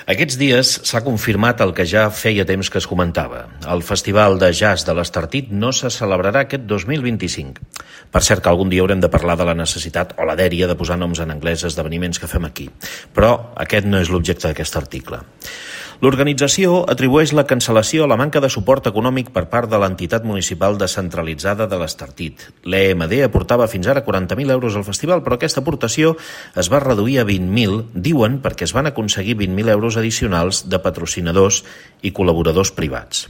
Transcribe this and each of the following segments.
Aquests dies s'ha confirmat el que ja feia temps que es comentava. El Festival de Jazz de l'Estartit no se celebrarà aquest 2025. Per cert que algun dia haurem de parlar de la necessitat o la dèria de posar noms en anglès a esdeveniments que fem aquí. Però aquest no és l'objecte d'aquest article. L'organització atribueix la cancel·lació a la manca de suport econòmic per part de l'entitat municipal descentralitzada de l'Estartit. L'EMD aportava fins ara 40.000 euros al festival, però aquesta aportació es va reduir a 20.000, diuen perquè es van aconseguir 20.000 euros addicionals de patrocinadors i col·laboradors privats.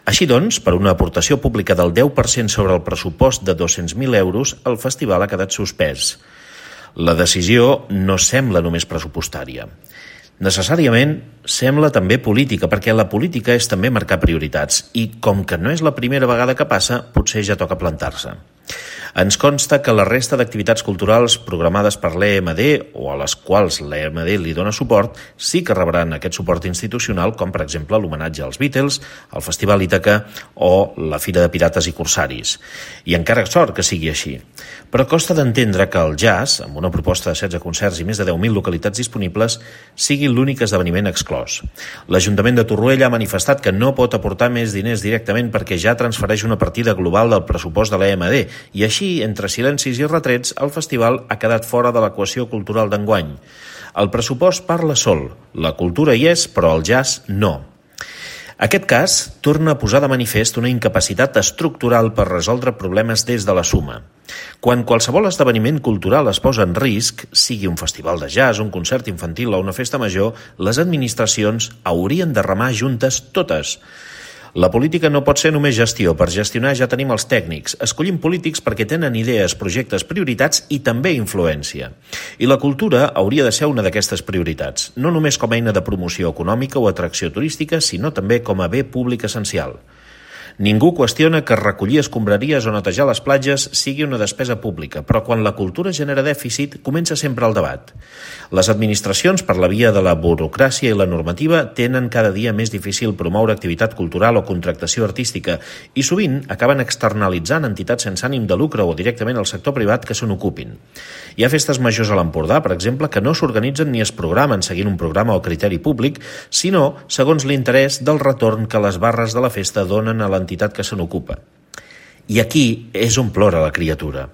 Així doncs, per una aportació pública del 10% sobre el pressupost de 200.000 euros, el festival ha quedat suspès. La decisió no sembla només pressupostària. Necessàriament sembla també política, perquè la política és també marcar prioritats i, com que no és la primera vegada que passa, potser ja toca plantar-se. Ens consta que la resta d'activitats culturals programades per l'EMD o a les quals l'EMD li dona suport sí que rebran aquest suport institucional, com per exemple l'homenatge als Beatles, el Festival Ítaca o la Fira de Pirates i Corsaris. I encara sort que sigui així. Però costa d'entendre que el jazz, amb una proposta de 16 concerts i més de 10.000 localitats disponibles, sigui l'únic esdeveniment exclòs. L'Ajuntament de Torroella ha manifestat que no pot aportar més diners directament perquè ja transfereix una partida global del pressupost de l'EMD i així, entre silencis i retrets, el festival ha quedat fora de l'equació cultural d'enguany. El pressupost parla sol, la cultura hi és, però el jazz no. Aquest cas torna a posar de manifest una incapacitat estructural per resoldre problemes des de la suma. Quan qualsevol esdeveniment cultural es posa en risc, sigui un festival de jazz, un concert infantil o una festa major, les administracions haurien de remar juntes totes. La política no pot ser només gestió. Per gestionar ja tenim els tècnics. Escollim polítics perquè tenen idees, projectes, prioritats i també influència. I la cultura hauria de ser una d'aquestes prioritats, no només com a eina de promoció econòmica o atracció turística, sinó també com a bé públic essencial. Ningú qüestiona que recollir escombraries o netejar les platges sigui una despesa pública, però quan la cultura genera dèficit, comença sempre el debat. Les administracions, per la via de la burocràcia i la normativa, tenen cada dia més difícil promoure activitat cultural o contractació artística i sovint acaben externalitzant entitats sense ànim de lucre o directament al sector privat que se n'ocupin. Hi ha festes majors a l'Empordà, per exemple, que no s'organitzen ni es programen seguint un programa o criteri públic, sinó segons l'interès del retorn que les barres de la festa donen a l'entitat que se n'ocupa. I aquí és on plora la criatura.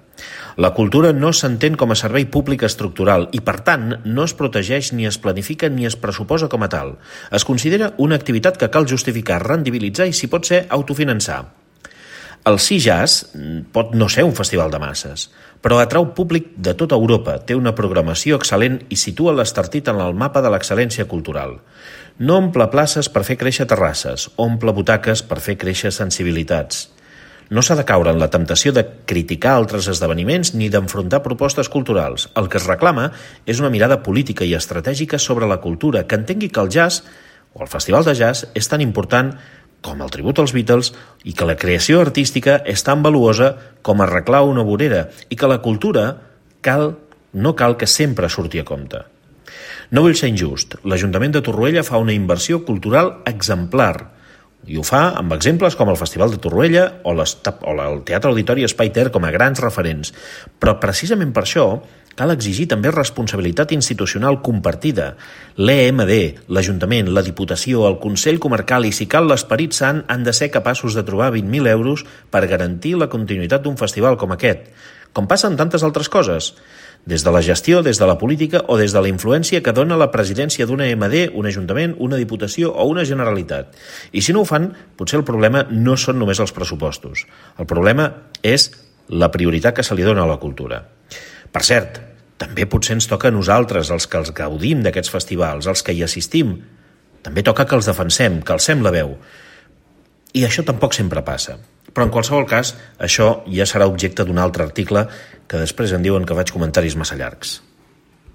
La cultura no s'entén com a servei públic estructural i, per tant, no es protegeix ni es planifica ni es pressuposa com a tal. Es considera una activitat que cal justificar, rendibilitzar i, si pot ser, autofinançar. El Sea Jazz pot no ser un festival de masses, però atrau públic de tota Europa, té una programació excel·lent i situa l'Estartit en el mapa de l'excel·lència cultural. No omple places per fer créixer terrasses, omple butaques per fer créixer sensibilitats. No s'ha de caure en la temptació de criticar altres esdeveniments ni d'enfrontar propostes culturals. El que es reclama és una mirada política i estratègica sobre la cultura, que entengui que el jazz, o el festival de jazz, és tan important com el tribut als Beatles i que la creació artística és tan valuosa com arreglar una vorera i que la cultura no cal que sempre surti a compte. No vull ser injust. L'Ajuntament de Torroella fa una inversió cultural exemplar i ho fa amb exemples com el Festival de Torroella o el Teatre Auditori Espai Ter com a grans referents. Però precisament per això cal exigir també responsabilitat institucional compartida. L'EMD, l'Ajuntament, la Diputació, el Consell Comarcal i, si cal, l'Esperit Sant han de ser capaços de trobar 20.000 euros per garantir la continuïtat d'un festival com aquest, com passa en tantes altres coses, des de la gestió, des de la política o des de la influència que dona la presidència d'una EMD, un Ajuntament, una Diputació o una Generalitat. I si no ho fan, potser el problema no són només els pressupostos. El problema és la prioritat que se li dona a la cultura. Per cert, també potser ens toca a nosaltres, els que els gaudim d'aquests festivals, els que hi assistim. També toca que els defensem, que alcem la veu. I això tampoc sempre passa. Però en qualsevol cas, això ja serà objecte d'un altre article que després em diuen que faig comentaris massa llargs.